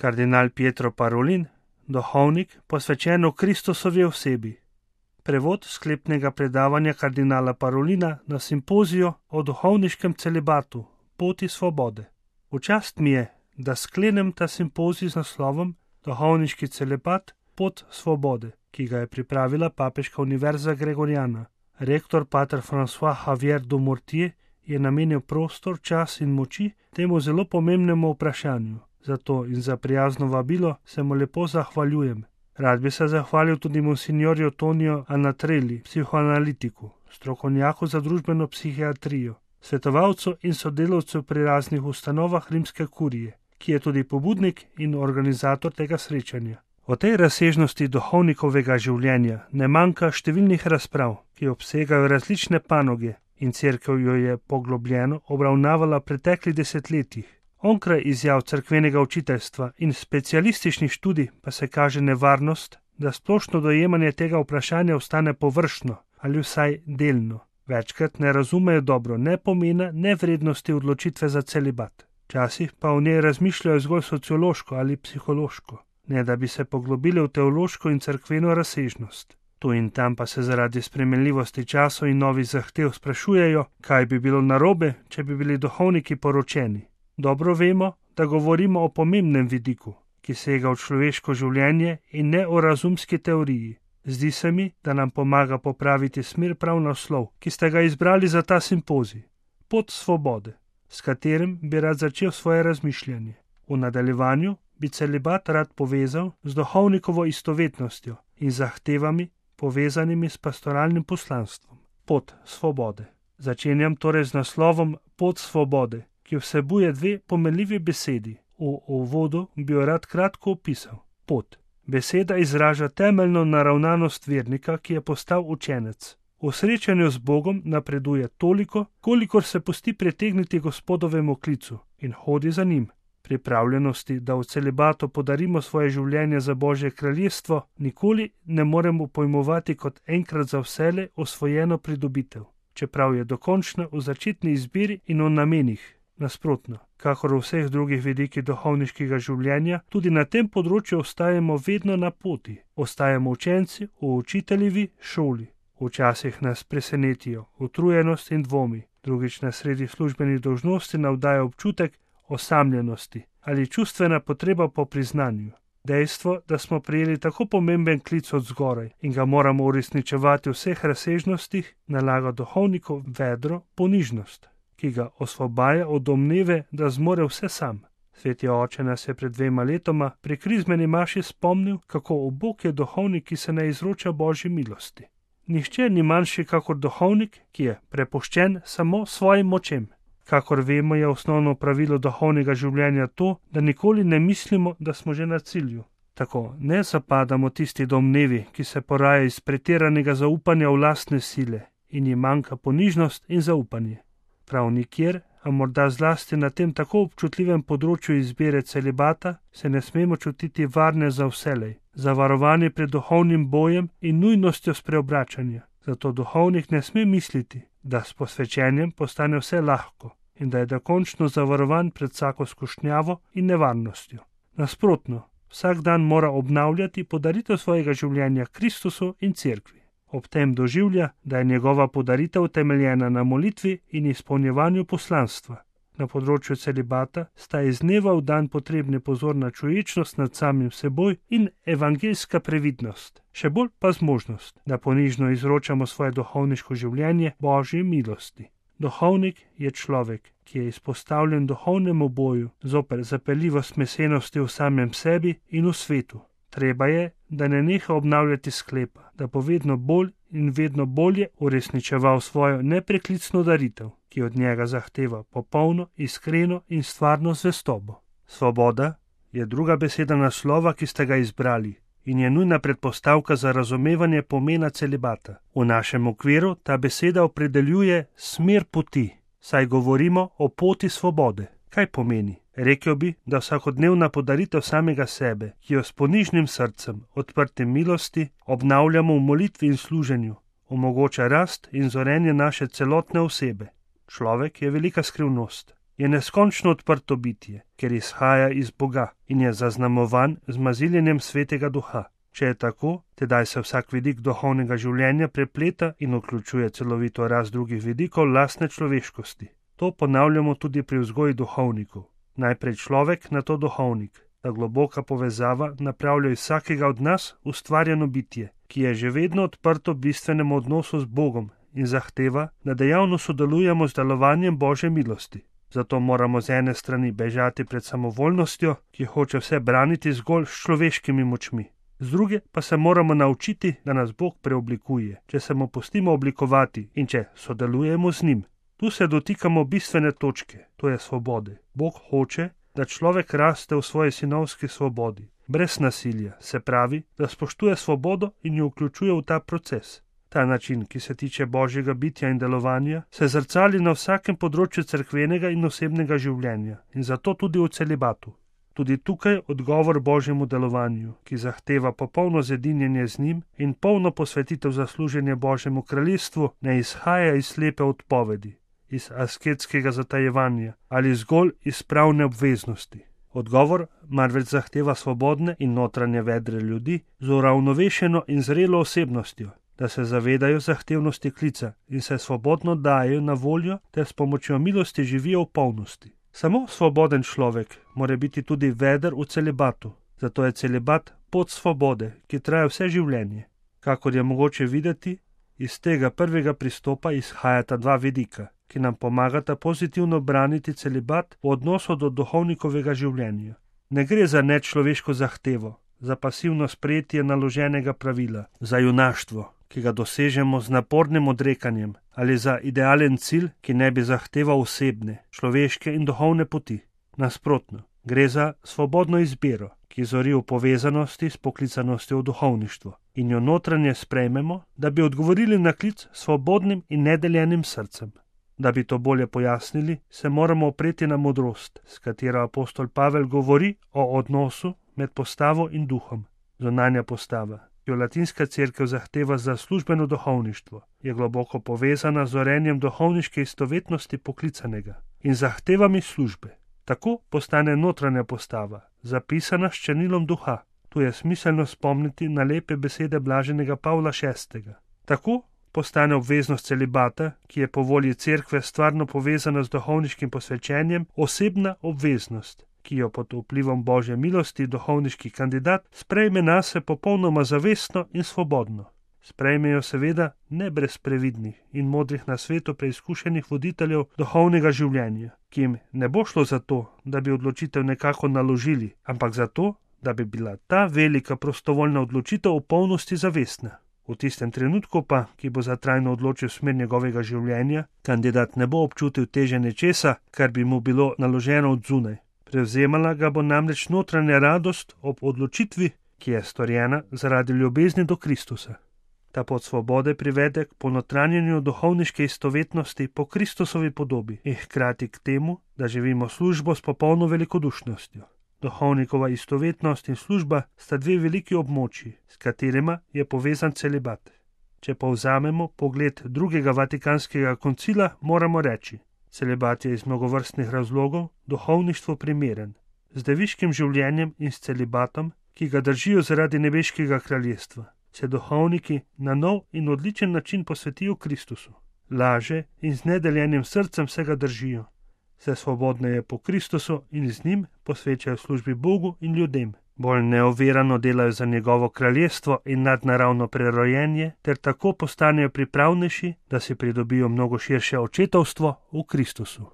Kardinal Pietro Parolin, duhovnik, posvečen v Kristusovi osebi. Prevod sklepnega predavanja kardinala Parolina na simpoziju o duhovniškem celibatu, poti svobode. V čast mi je, da sklenem ta simpozij z naslovom Duhovniški celibat, pot svobode, ki ga je pripravila Papeška univerza Gregoriana. Rektor pater François Javier Dumortier je namenil prostor, čas in moči temu zelo pomembnemu vprašanju. Zato in za prijazno vabilo se mu lepo zahvaljujem. Rad bi se zahvalil tudi monsignorju Toniju Anatrelli, psihoanalitiku, strokovnjaku za družbeno psihiatrijo, svetovalcu in sodelavcu pri raznih ustanovah rimske kurije, ki je tudi pobudnik in organizator tega srečanja. O tej razsežnosti duhovnikovega življenja ne manjka številnih razprav, ki obsegajo različne panoge, in cerkev jo je poglobljeno obravnavala v preteklih desetletjih. Onkraj izjav cerkvenega učiteljstva in specialističnih študij pa se kaže nevarnost, da splošno dojemanje tega vprašanja ostane površno ali vsaj delno. Večkrat ne razumejo dobro ne pomena, ne vrednosti odločitve za celibat. Včasih pa o njej razmišljajo zgolj sociološko ali psihološko, ne da bi se poglobili v teološko in cerkveno razsežnost. Tu in tam pa se zaradi spremenljivosti časov in novih zahtev sprašujejo, kaj bi bilo narobe, če bi bili duhovniki poročeni. Dobro vemo, da govorimo o pomembnem vidiku, ki sega v človeško življenje in ne o razumski teoriji. Zdi se mi, da nam pomaga popraviti smer prav naslov, ki ste ga izbrali za ta simpozij. Pot svobode, s katerim bi rad začel svoje razmišljanje. V nadaljevanju bi celibat rad povezal z duhovnikovo istovetnostjo in zahtevami, povezanimi s pastoralnim poslanstvom. Pot svobode. Začenjam torej z naslovom Pot svobode, ki vsebuje dve pomenljivi besedi. V uvodu bi jo rad kratko opisal. Pot. Beseda izraža temeljno naravnanost vernika, ki je postal učenec. V srečanju z Bogom napreduje toliko, kolikor se pusti pritegniti Gospodovemu klicu in hodi za njim. Pripravljenosti, da v celibatu podarimo svoje življenje za Božje kraljestvo, nikoli ne moremo pojmovati kot enkrat za vselej osvojeno pridobitev, čeprav je dokončna v začetni izbiri in v namenih. Nasprotno, kakor v vseh drugih vidikih duhovniškega življenja, tudi na tem področju ostajamo vedno na poti. Ostajamo učenci v učiteljevi šoli. Včasih nas presenetijo utrujenost in dvomi, drugič nas sredi službenih dolžnosti navdaja občutek osamljenosti ali čustvena potreba po priznanju. Dejstvo, da smo prejeli tako pomemben klic od zgoraj in ga moramo uresničevati v vseh razsežnostih, nalaga duhovniku vedro ponižnost, ki ga osvobaja od domneve, da zmore vse sam. Sveti oče nas je pred 2 letoma pri krizmeni maši spomnil, kako ubog je duhovnik, ki se ne izroča Božji milosti. Nihče ni manjši kakor duhovnik, ki je prepuščen samo svojim močem. Kakor vemo, je osnovno pravilo duhovnega življenja to, da nikoli ne mislimo, da smo že na cilju. Tako ne zapadamo tisti domnevi, ki se poraja iz pretiranega zaupanja v lastne sile in jim manjka ponižnost in zaupanje. Prav nikjer, a morda zlasti na tem tako občutljivem področju izbire celibata, se ne smemo čutiti varne za vselej, zavarovani pred duhovnim bojem in nujnostjo spreobračanja. Zato duhovnik ne sme misliti, da s posvečenjem postane vse lahko in da je dokončno zavarovan pred vsako skušnjavo in nevarnostjo. Nasprotno, vsak dan mora obnavljati podaritev svojega življenja Kristusu in cerkvi. Ob tem doživlja, da je njegova podaritev temeljena na molitvi in izpolnjevanju poslanstva. Na področju celibata sta iz dneva v dan potrebni pozorna čuječnost nad samim seboj in evangeljska previdnost, še bolj pa zmožnost, da ponižno izročamo svoje duhovniško življenje Božji milosti. Duhovnik je človek, ki je izpostavljen duhovnemu boju zoper zapeljivost mesenosti v samem sebi in v svetu. Treba je, da ne neha obnavljati sklepa, da bo vedno bolj in vedno bolje uresničeval svojo nepreklicno daritev, ki od njega zahteva popolno, iskreno in stvarno zvestobo. Svoboda je druga beseda naslova, ki ste ga izbrali, in je nujna predpostavka za razumevanje pomena celibata. V našem okviru ta beseda opredeljuje smer poti, saj govorimo o poti svobode. Kaj pomeni? Rekel bi, da vsakodnevna podaritev samega sebe, ki jo s ponižnim srcem, odprtim milosti, obnavljamo v molitvi in služenju, omogoča rast in zorenje naše celotne osebe. Človek je velika skrivnost je neskončno odprto bitje, ker izhaja iz Boga in je zaznamovan z maziljenjem Svetega Duha. Če je tako, tedaj se vsak vidik duhovnega življenja prepleta in vključuje celovito rast drugih vidikov lastne človeškosti. To ponavljamo tudi pri vzgoji duhovnikov. Najprej človek, nato duhovnik. Ta globoka povezava napravlja iz vsakega od nas ustvarjeno bitje, ki je že vedno odprto bistvenemu odnosu z Bogom in zahteva, da dejavno sodelujemo z delovanjem Božje milosti. Zato moramo z ene strani bežati pred samovoljnostjo, ki hoče vse braniti zgolj s človeškimi močmi. Z druge pa se moramo naučiti, da nas Bog preoblikuje, če se mu pustimo oblikovati in če sodelujemo z njim. Tu se dotikamo bistvene točke, to je svobode. Bog hoče, da človek raste v svoji sinovski svobodi, brez nasilja, se pravi, da spoštuje svobodo in jo vključuje v ta proces. Ta način, ki se tiče Božjega bitja in delovanja, se zrcali na vsakem področju cerkvenega in osebnega življenja in zato tudi v celibatu. Tudi tukaj odgovor Božjemu delovanju, ki zahteva popolno zedinjenje z njim in polno posvetitev za služenje Božjemu kraljestvu, ne izhaja iz slepe odpovedi, iz asketskega zatajevanja ali zgolj iz pravne obveznosti. Odgovor marveč zahteva svobodne in notranje vedre ljudi z uravnovešeno in zrelo osebnostjo, da se zavedajo zahtevnosti klica in se svobodno dajejo na voljo ter s pomočjo milosti živijo v polnosti. Samo svoboden človek mora biti tudi veder v celibatu, zato je celibat pot svobode, ki traja vse življenje. Kakor je mogoče videti, iz tega prvega pristopa izhajata dva vidika, ki nam pomagata pozitivno braniti celibat v odnosu do duhovnikovega življenja. Ne gre za nečloveško zahtevo, za pasivno sprejetje naloženega pravila, za junaštvo, ki ga dosežemo z napornim odrekanjem, ali za idealen cilj, ki ne bi zahteval osebne, človeške in duhovne poti. Nasprotno, gre za svobodno izbiro, ki zori v povezanosti s poklicanostjo v duhovništvo in jo notranje sprejmemo, da bi odgovorili na klic svobodnim in nedeljenim srcem. Da bi to bolje pojasnili, se moramo opreti na modrost, s katero apostol Pavel govori o odnosu med postavo in duhom. Zunanja postava, ki jo latinska cerkev zahteva za službeno duhovništvo, je globoko povezana z orenjem duhovniške istovetnosti poklicanega in zahtevami službe. Tako postane notranja postava, zapisana s črnilom duha. Tu je smiselno spomniti na lepe besede blaženega Pavla VI. Tako postane obveznost celibata, ki je po volji cerkve stvarno povezana z duhovniškim posvečenjem, osebna obveznost, ki jo pod vplivom Božje milosti duhovniški kandidat sprejme nase popolnoma zavestno in svobodno. Sprejmejo seveda ne brez previdnih in modrih na svetu preizkušenih voditeljev duhovnega življenja, ki jim ne bo šlo za to, da bi odločitev nekako naložili, ampak za to, da bi bila ta velika prostovoljna odločitev v polnosti zavestna. V tistem trenutku pa, ki bo za trajno odločil smer njegovega življenja, kandidat ne bo občutil teže nečesa, kar bi mu bilo naloženo od zunaj. Prevzemala ga bo namreč notranja radost ob odločitvi, ki je storjena zaradi ljubezni do Kristusa. Ta pot svobode privede k ponotranjenju duhovniške istovetnosti po Kristusovi podobi in hkrati k temu, da živimo službo s popolno velikodušnostjo. Duhovnikova istovetnost in služba sta dve veliki območji, s katerima je povezan celibat. Če povzamemo pogled drugega vatikanskega koncila, moramo reči: celibat je iz mnogovrstnih razlogov duhovništvu primeren, z deviškim življenjem in s celibatom, ki ga držijo zaradi nebeškega kraljestva, se duhovniki na nov in odličen način posvetijo Kristusu. Laže in z nedeljenim srcem se ga držijo. Se svobodneje po Kristusu in z njim posvečajo službi Bogu in ljudem. Bolj neovirano delajo za njegovo kraljestvo in nadnaravno prerojenje, ter tako postanejo pripravnejši, da si pridobijo mnogo širše očetovstvo v Kristusu.